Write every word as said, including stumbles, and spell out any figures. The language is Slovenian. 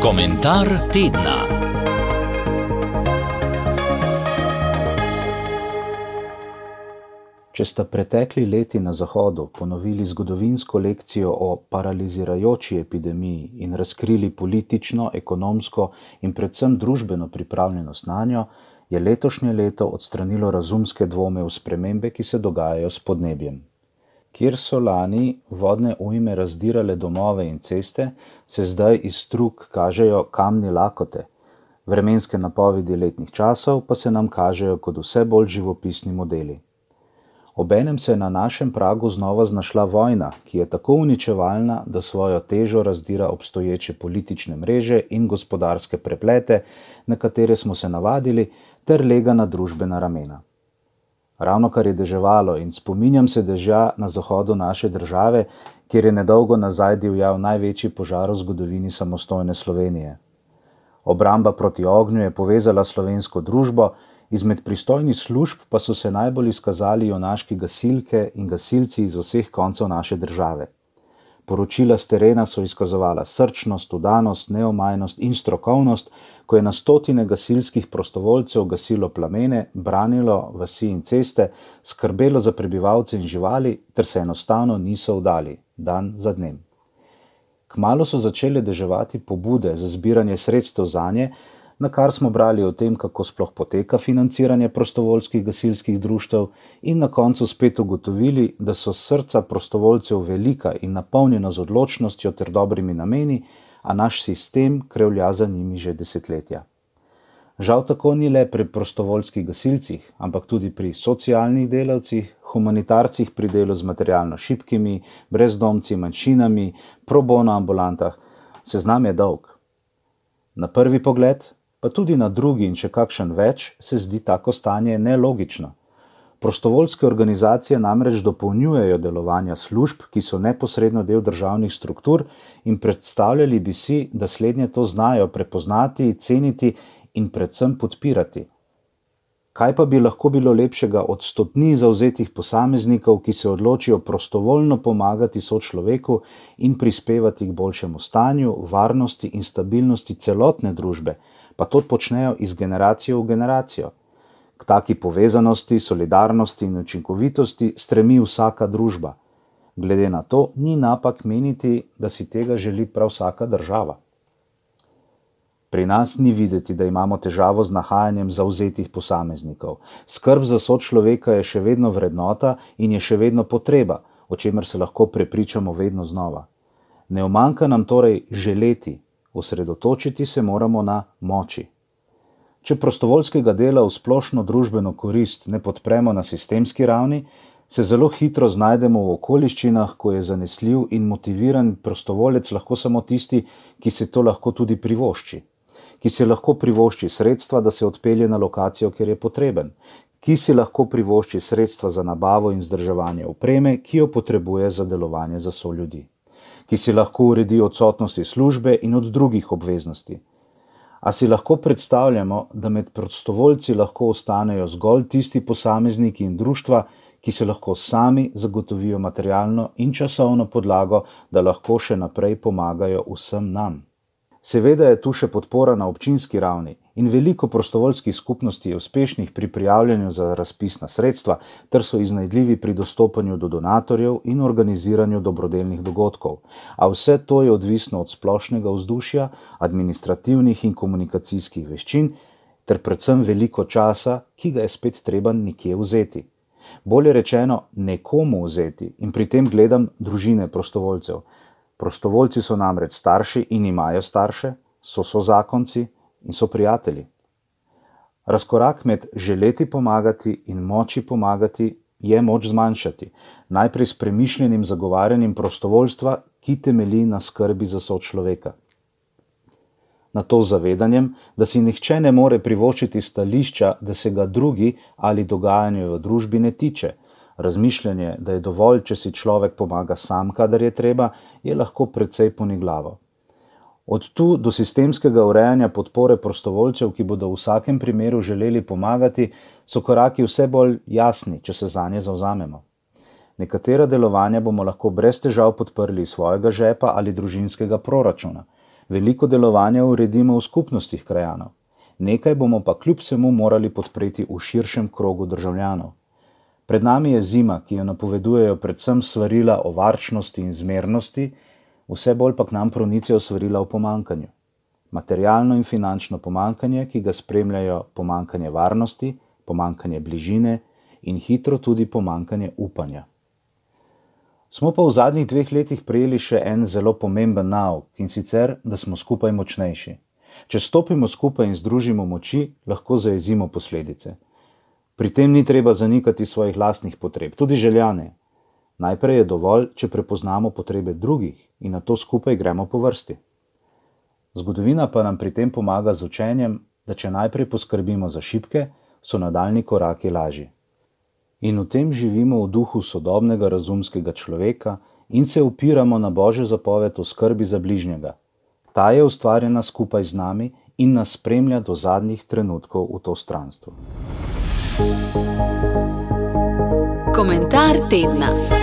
Komentar tedna. Če sta pretekli leti na Zahodu ponovili zgodovinsko lekcijo o paralizirajoči epidemiji in razkrili politično, ekonomsko in predvsem družbeno pripravljenost nanjo, je letošnje leto odstranilo razumske dvome v spremembe, ki se dogajajo s podnebjem. Kjer so lani vodne ujme razdirale domove in ceste, se zdaj iz strug kažejo kamni lakote. Vremenske napovedi letnih časov pa se nam kažejo kot vse bolj živopisni modeli. Obenem se je na našem pragu znova znašla vojna, ki je tako uničevalna, da svojo težo razdira obstoječe politične mreže in gospodarske preplete, na katere smo se navadili, ter lega na družbena ramena. Ravno kar je deževalo in spominjam se dežja na zahodu naše države, kjer je nedolgo nazaj divjal največji požar v zgodovini samostojne Slovenije. Obramba proti ognju je povezala slovensko družbo, izmed pristojnih služb pa so se najbolj izkazali junaški gasilke in gasilci iz vseh koncev naše države. Poročila s terena so izkazovala srčnost, vdanost, neomajnost in strokovnost, ko je na stotine gasilskih prostovoljcev gasilo plamene, branilo vasi in ceste, skrbelo za prebivalce in živali, ter se enostavno niso vdali, dan za dnem. Kmalu so začele deževati pobude za zbiranje sredstev zanje, na kar smo brali o tem, kako sploh poteka financiranje prostovoljskih gasilskih društev in na koncu spet ugotovili, da so srca prostovoljcev velika in napolnjena z odločnostjo ter dobrimi nameni, a naš sistem krevlja za njimi že desetletja. Žal tako ni le pri prostovoljskih gasilcih, ampak tudi pri socialnih delavcih, humanitarcih pri delu z materialno šibkimi, brezdomci, manjšinami, pro bono ambulantah. Seznam je dolg. Na prvi pogled, pa tudi na drugi in še kakšen več, se zdi tako stanje nelogično. Prostovoljske organizacije namreč dopolnjujejo delovanja služb, ki so neposredno del državnih struktur, in predstavljali bi si, da slednje to znajo prepoznati, ceniti in predvsem podpirati. Kaj pa bi lahko bilo lepšega od stotni zavzetih posameznikov, ki se odločijo prostovoljno pomagati sočloveku in prispevati k boljšemu stanju, varnosti in stabilnosti celotne družbe, pa to počnejo iz generacije v generacijo. K taki povezanosti, solidarnosti in učinkovitosti stremi vsaka družba. Glede na to, ni napak meniti, da si tega želi prav vsaka država. Pri nas ni videti, da imamo težavo z nahajanjem zavzetih posameznikov. Skrb za sočloveka je še vedno vrednota in je še vedno potreba, o čemer se lahko prepričamo vedno znova. Ne umanjka nam torej želeti, osredotočiti se moramo na moči. Če prostovoljskega dela v splošno družbeno korist ne podpremo na sistemski ravni, se zelo hitro znajdemo v okoliščinah, ko je zanesljiv in motiviran prostovoljec lahko samo tisti, ki se to lahko tudi privošči. Ki si lahko privošči sredstva, da se odpelje na lokacijo, kjer je potreben. Ki si lahko privošči sredstva za nabavo in vzdrževanje opreme, ki jo potrebuje za delovanje za soljudi. Ki si lahko uredi odsotnosti službe in od drugih obveznosti. A si lahko predstavljamo, da med prostovoljci lahko ostanejo zgolj tisti posamezniki in društva, ki se lahko sami zagotovijo materialno in časovno podlago, da lahko še naprej pomagajo vsem nam. Seveda je tu še podpora na občinski ravni in veliko prostovoljskih skupnosti je uspešnih pri prijavljanju za razpisna sredstva, ter so iznajdljivi pri dostopanju do donatorjev in organiziranju dobrodelnih dogodkov. A vse to je odvisno od splošnega vzdušja, administrativnih in komunikacijskih veščin, ter predvsem veliko časa, ki ga je spet treba nekje vzeti. Bolje rečeno, nekomu vzeti, in pri tem gledam družine prostovoljcev. Prostovoljci so namreč starši in imajo starše, so sozakonci in so prijatelji. Razkorak med želeti pomagati in moči pomagati je moč zmanjšati, najprej s premišljenim zagovarjanjem prostovoljstva, ki temelji na skrbi za sočloveka. Na to zavedanjem, da si nihče ne more privoščiti stališča, da se ga drugi ali dogajanje v družbi ne tiče. Razmišljanje, da je dovolj, če si človek pomaga sam, kadar je treba, je lahko precej poniglavo. Od tu do sistemskega urejanja podpore prostovoljcev, ki bodo v vsakem primeru želeli pomagati, so koraki vse bolj jasni, če se zanje zavzamemo. Nekatera delovanja bomo lahko brez težav podprli iz svojega žepa ali družinskega proračuna. Veliko delovanja uredimo v skupnostih krajanov. Nekaj bomo pa kljub vsemu morali podpreti v širšem krogu državljanov. Pred nami je zima, ki jo napovedujejo predvsem svarila o varčnosti in zmernosti, vse bolj pa k nam pronicajo svarila o pomankanju. Materialno in finančno pomankanje, ki ga spremljajo pomankanje varnosti, pomankanje bližine in hitro tudi pomankanje upanja. Smo pa v zadnjih dveh letih prejeli še en zelo pomemben nauk, in sicer, da smo skupaj močnejši. Če stopimo skupaj in združimo moči, lahko zajezimo posledice. Pri tem ni treba zanikati svojih lastnih potreb, tudi željane. Najprej je dovolj, če prepoznamo potrebe drugih in nato skupaj gremo po vrsti. Zgodovina pa nam pri tem pomaga z učenjem, da če najprej poskrbimo za šibke, so nadaljnji koraki lažji. In v tem živimo v duhu sodobnega razumskega človeka in se opiramo na Božjo zapoved o skrbi za bližnjega. Ta je ustvarjena skupaj z nami in nas spremlja do zadnjih trenutkov v to stranstvo. Komentar tedna.